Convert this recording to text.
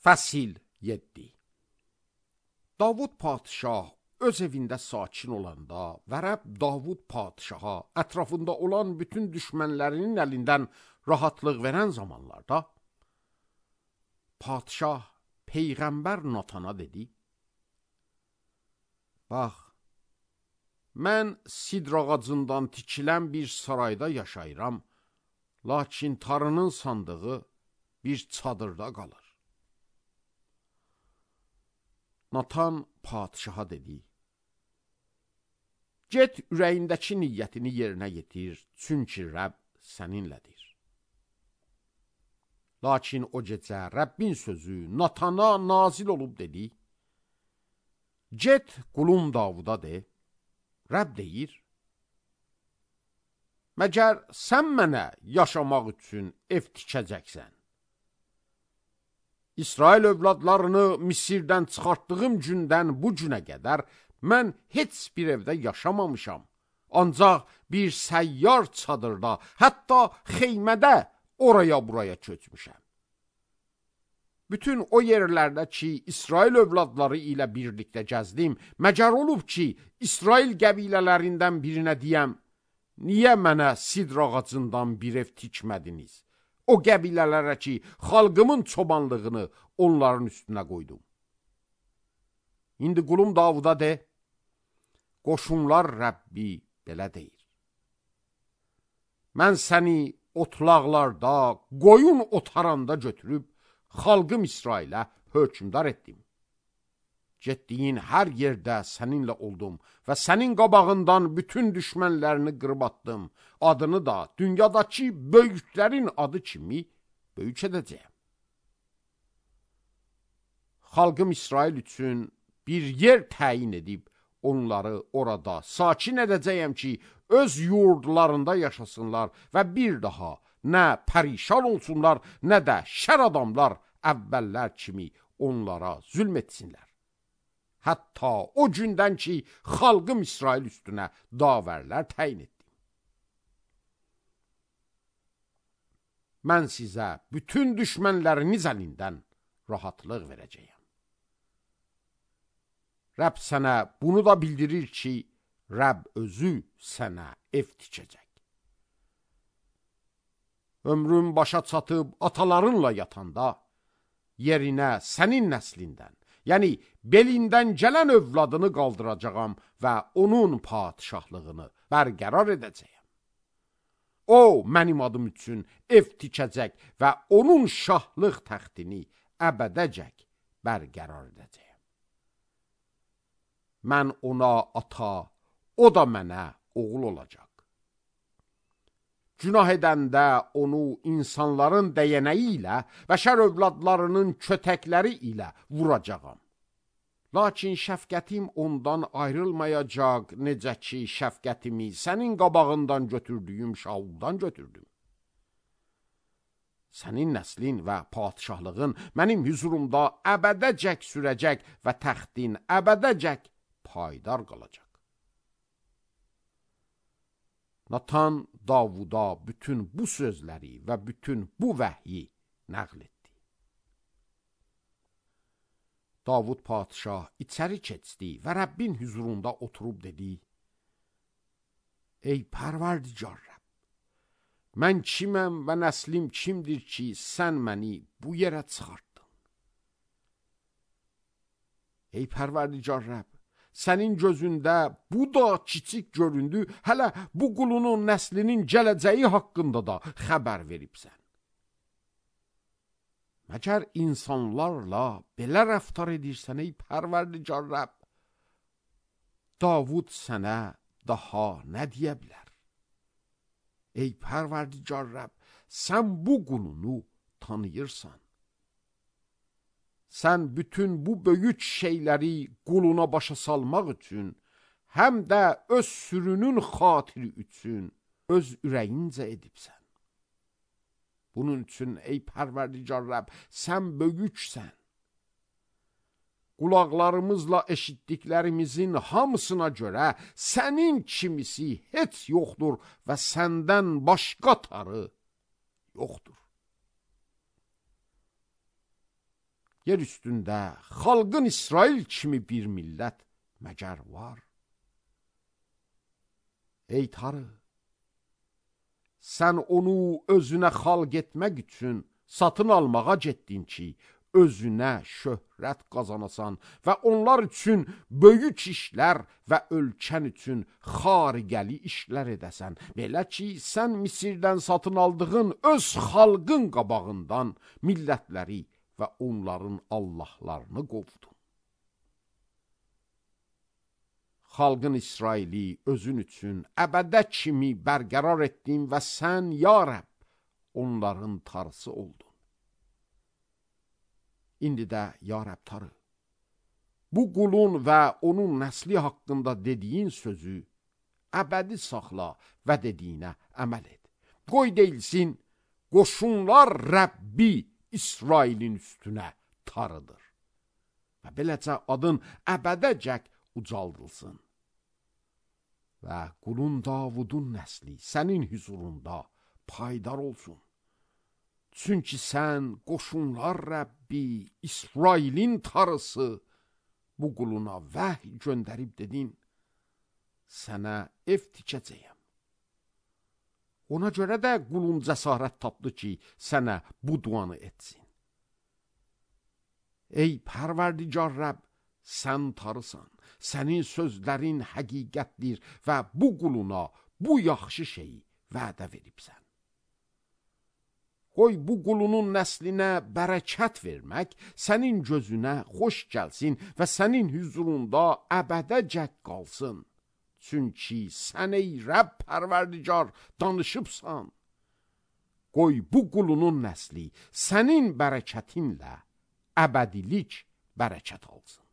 Fəsil 7. Davud padişah öz evində sakin olanda və Rəbb Davud padişaha ətrafında olan bütün düşmənlərinin əlindən rahatlıq verən zamanlarda padişah Peyğəmbər Natana dedi: Bax, mən sidr ağacından tikilən bir sarayda yaşayıram, lakin Tanrının sandığı bir çadırda qalır. Natan padişaha dedi: Get ürəyindəki niyyətini yerinə yetir, çünki Rəbb səninlədir. Lakin o gecə Rəbbin sözü Natana nazil olub dedi: Get qulum Davuda de, Rəbb deyir: Məgər sən mənə yaşamaq üçün ev tikəcəksən? İsrail övladlarını Misirdən çıxartdığım gündən bu günə qədər mən heç bir evdə yaşamamışam. Ancaq bir səyyar çadırda, hətta xeymədə oraya buraya köçmüşəm. Bütün o yerlərdə ki, İsrail övladları ilə birlikdə gəzdim, məgər olub ki, İsrail qəbilələrindən birinə deyəm, niyə mənə sidr ağacından bir ev tikmədiniz? O qəbilələrə ki, xalqımın çobanlığını onların üstünə qoydum. İndi qulum Davuda de, qoşunlar Rəbbi belə deyir: Mən səni otlaqlarda, qoyun otaranda götürüb, xalqım İsrailə hökmdar etdim. Getdiyin hər yerdə səninlə oldum və sənin qabağından bütün düşmənlərini qırıb atdım. Adını da dünyadakı böyüklərin adı kimi böyük edəcəyəm. Xalqım İsrail üçün bir yer təyin edib, onları orada sakin edəcəyəm ki, öz yurdlarında yaşasınlar və bir daha nə pərişan olsunlar, nə də şər adamlar əvvəllər kimi onlara zülm etsinlər. Hətta o gündən ki, xalqım İsrail üstünə davərlər təyin etdim. Mən sizə bütün düşmənləriniz əlindən rahatlıq verəcəyəm. Rəbb sənə bunu da bildirir ki, Rəbb özü sənə ev tikəcək. Ömrün başa çatıb atalarınla yatanda, yerinə sənin nəslindən, yəni belindən gələn övladını qaldıracağam və onun padişahlığını bərqərar edəcəyəm. O, mənim adım üçün ev tikəcək və onun şahlıq təxtini əbədəcək bərqərar edəcəyəm. Mən ona ata, o da mənə oğul olacaq. Günah edəndə onu insanların dəyənəyi ilə, bəşər övladlarının kötəkləri ilə vuracağam. Lakin şəfqətim ondan ayrılmayacaq, necə ki, şəfqətimi sənin qabağından götürdüyüm Şauldan götürdüm. Sənin nəslin və padişahlığın mənim hüzurumda əbədəcək sürəcək və təxtin əbədəcək paydar qalacaq. Natan Davuda bütün bu sözləri və bütün bu vəhyi nəql etdi. Davud padişah içəri keçdi və Rəbbin hüzurunda oturub dedi: Ey pərverdigar Rəbb, mən kiməm və nəslim kimdir ki, sən məni bu yerə çıxartdın? Ey pərverdigar Rəbb, sənin gözündə bu da kiçik göründü, hələ bu qulunun nəslinin gələcəyi haqqında da xəbər veribsən. Məgər insanlarla belə rəftar edirsən, ey pərverdigar Rəbb, Davud sənə daha nə deyə bilər? Ey pərverdigar Rəbb, sən bu qulunu tanıyırsan. Sən bütün bu böyük şeyləri quluna başa salmaq üçün, həm də öz sürünün xatiri üçün öz ürəyincə edibsən. Bunun üçün, ey pərverdigar Rəbb, sən böyüksən. Qulaqlarımızla eşitdiklərimizin hamısına görə sənin kimisi heç yoxdur və səndən başqa tarı yoxdur. yer üstündə xalqın İsrail kimi bir millət məgər var? Ey Tanrı, sən onu özünə xalq etmək üçün satın almağa getdin ki, özünə şöhrət qazanasan və onlar üçün böyük işlər və ölkən üçün xariqəli işlər edəsən. Belə ki, sən Misirdən satın aldığın öz xalqın qabağından millətləri və onların allahlarını qovdun. Xalqın İsraili özün üçün əbədə kimi bərqərar etdin və sən, ya Rəbb, onların tarısı oldun. İndi də, ya Rəbb Tanrı, bu qulun və onun nəsli haqqında dediyin sözü əbədi saxla və dediyinə əməl et. Qoy deyilsin, qoşunlar Rəbbi İsrailin üstünə Tanrıdır. Və beləcə adın əbədəcək ucaldılsın. Və qulun Davudun nəsli sənin hüzurunda paydar olsun. Çünki sən qoşunlar Rəbbi, İsrailin Tanrısı, bu quluna vəhy göndərib dedin, sənə ev tikəcəyəm. Ona görə də qulun cəsarət tapdı ki, sənə bu duanı etsin. Ey Pərverdigar Rəbb, sən Tanrısan, sənin sözlərin həqiqətdir və bu quluna bu yaxşı şeyi vədə veribsən. Qoy bu qulunun nəslinə bərəkət vermək sənin gözünə xoş gəlsin və sənin hüzurunda əbədəcək qalsın. Çünki sən ey Rəbb Pərverdigar danışıbsan. Qoy bu qulunun nəsli sənin bərəkətinlə əbədilik bərəkət alsın.